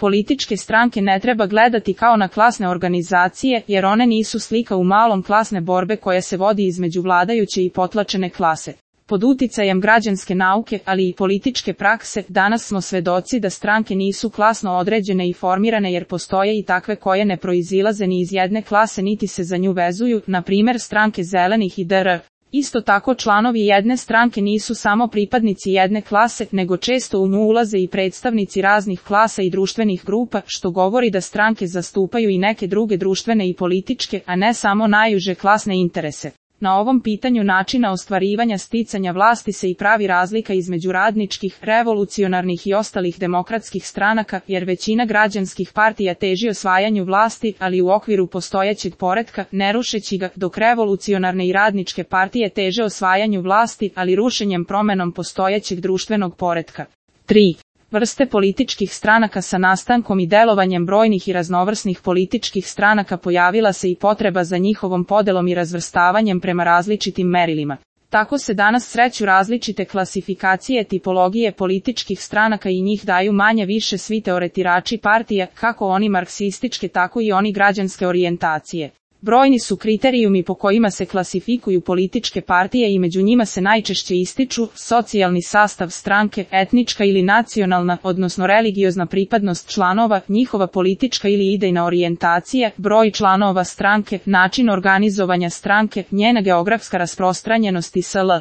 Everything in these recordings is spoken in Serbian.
Političke stranke ne treba gledati kao na klasne organizacije, jer one nisu slika u malom klasne borbe koja se vodi između vladajuće i potlačene klase. Pod uticajem građanske nauke, ali i političke prakse, danas smo svedoci da stranke nisu klasno određene i formirane jer postoje i takve koje ne proizilaze ni iz jedne klase niti se za nju vezuju, na primjer stranke zelenih i dr. Isto tako članovi jedne stranke nisu samo pripadnici jedne klase, nego često u nju ulaze i predstavnici raznih klasa i društvenih grupa, što govori da stranke zastupaju i neke druge društvene i političke, a ne samo najuže klasne interese. Na ovom pitanju načina ostvarivanja sticanja vlasti se i pravi razlika između radničkih, revolucionarnih i ostalih demokratskih stranaka, jer većina građanskih partija teži osvajanju vlasti, ali u okviru postojećeg poretka, ne rušeći ga, dok revolucionarne i radničke partije teže osvajanju vlasti, ali rušenjem promenom postojećeg društvenog poretka. 3. Vrste političkih stranaka. Sa nastankom i delovanjem brojnih i raznovrsnih političkih stranaka pojavila se i potreba za njihovom podelom i razvrstavanjem prema različitim merilima. Tako se danas sreću različite klasifikacije tipologije političkih stranaka i njih daju manje-više svi teoretirači partija, kako oni marksističke tako i oni građanske orijentacije. Brojni su kriterijumi po kojima se klasifikuju političke partije i među njima se najčešće ističu socijalni sastav stranke, etnička ili nacionalna, odnosno religiozna pripadnost članova, njihova politička ili idejna orijentacija, broj članova stranke, način organizovanja stranke, njena geografska rasprostranjenost i sl.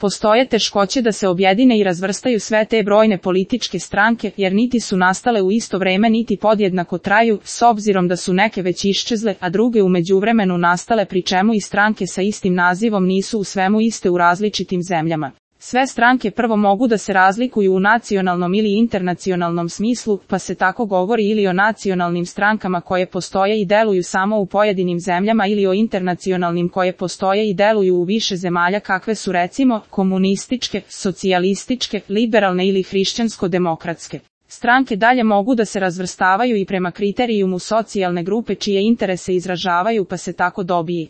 Postoje teškoće da se objedine i razvrstaju sve te brojne političke stranke, jer niti su nastale u isto vreme niti podjednako traju, s obzirom da su neke već iščezle, a druge u međuvremenu nastale, pri čemu i stranke sa istim nazivom nisu u svemu iste u različitim zemljama. Sve stranke prvo mogu da se razlikuju u nacionalnom ili internacionalnom smislu, pa se tako govori ili o nacionalnim strankama koje postoje i deluju samo u pojedinim zemljama ili o internacionalnim koje postoje i deluju u više zemalja, kakve su recimo komunističke, socijalističke, liberalne ili hrišćansko-demokratske. Stranke dalje mogu da se razvrstavaju i prema kriterijumu socijalne grupe čije interese izražavaju, pa se tako dobije